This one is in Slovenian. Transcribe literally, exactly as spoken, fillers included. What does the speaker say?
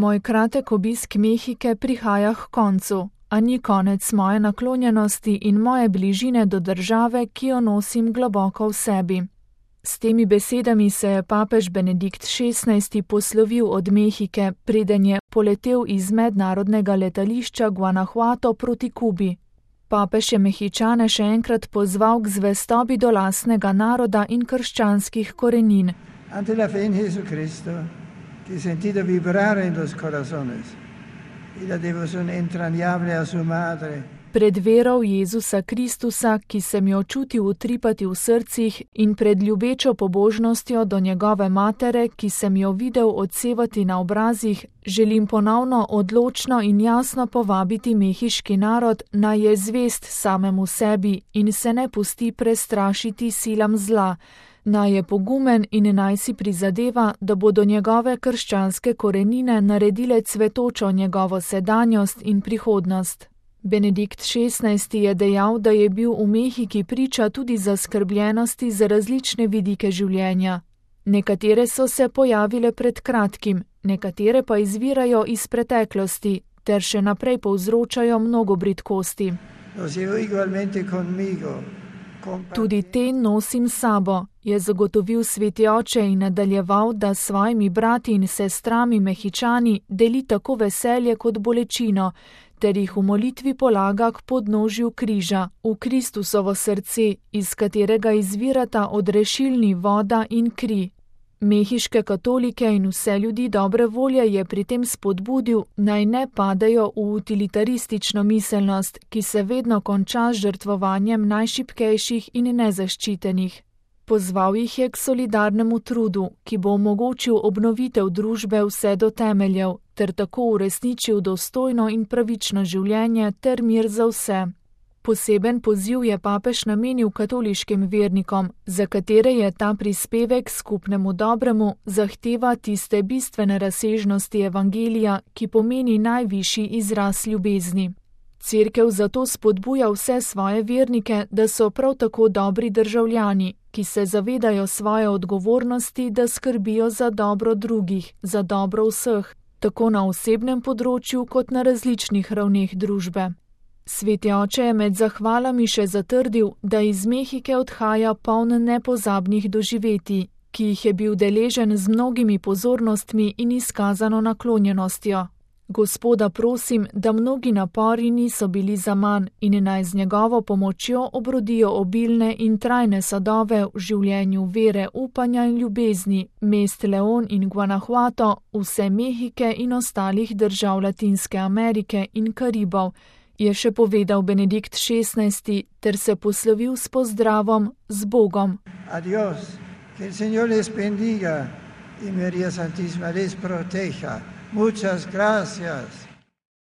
Moj kratek obisk Mehike prihaja h koncu, a ni konec moje naklonjenosti in moje bližine do države, ki jo nosim globoko v sebi. S temi besedami se je papež Benedikt šestnajsti poslovil od Mehike, preden je poletel iz mednarodnega letališča Guanajuato proti Kubi. Papež je Mehičane še enkrat pozval k zvestobi do lastnega naroda in krščanskih korenin. Ante la fe en Jesucristo, que sentido vibrare en los corazones, y la devoción entrañable a su madre. Pred vero v Jezusa Kristusa, ki sem jo čutil utripati v srcih, in pred ljubečo pobožnostjo do njegove matere, ki sem jo videl odsevati na obrazih, želim ponovno odločno in jasno povabiti mehiški narod, naj je zvest samemu sebi in se ne pusti prestrašiti silam zla, naj je pogumen in naj si prizadeva, da bodo njegove krščanske korenine naredile cvetočo njegovo sedanjost in prihodnost. Benedikt šestnajsti je dejal, da je bil v Mehiki priča tudi zaskrbljenosti za različne vidike življenja. Nekatere so se pojavile pred kratkim, nekatere pa izvirajo iz preteklosti, ter še naprej povzročajo mnogo bridkosti. Tudi te nosim sabo, je zagotovil sveti oče in nadaljeval, da s svojimi brati in sestrami Mehičani deli tako veselje kot bolečino, ter jih v molitvi polaga k podnožju križa, v Kristusovo srce, iz katerega izvirata odrešilni voda in kri. Mehiške katolike in vse ljudi dobre volje je pri tem spodbudil, naj ne padejo v utilitaristično miselnost, ki se vedno konča z žrtvovanjem najšibkejših in nezaščitenih. Pozval jih je k solidarnemu trudu, ki bo omogočil obnovitev družbe vse do temeljev, ter tako uresničil dostojno in pravično življenje ter mir za vse. Poseben poziv je papež namenil katoliškim vernikom, za katere je ta prispevek skupnemu dobremu zahteva tiste bistvene razsežnosti evangelija, ki pomeni najvišji izraz ljubezni. Cerkev zato spodbuja vse svoje vernike, da so prav tako dobri državljani, ki se zavedajo svoje odgovornosti, da skrbijo za dobro drugih, za dobro vseh, tako na osebnem področju kot na različnih ravneh družbe. Sveti oče je med zahvalami še zatrdil, da iz Mehike odhaja poln nepozabnih doživetij, ki jih je bil deležen z mnogimi pozornostmi in izkazano naklonjenostjo. Gospoda prosim, da mnogi napori niso bili zaman in naj z njegovo pomočjo obrodijo obilne in trajne sadove v življenju vere, upanja in ljubezni, mest León in Guanajuato, vse Mehike in ostalih držav Latinske Amerike in Karibov, je še povedal Benedikt šestnajsti ter se poslovil s pozdravom z Bogom. Adiós, que el Señor les bendiga y María Santísima les proteja. Muchas gracias.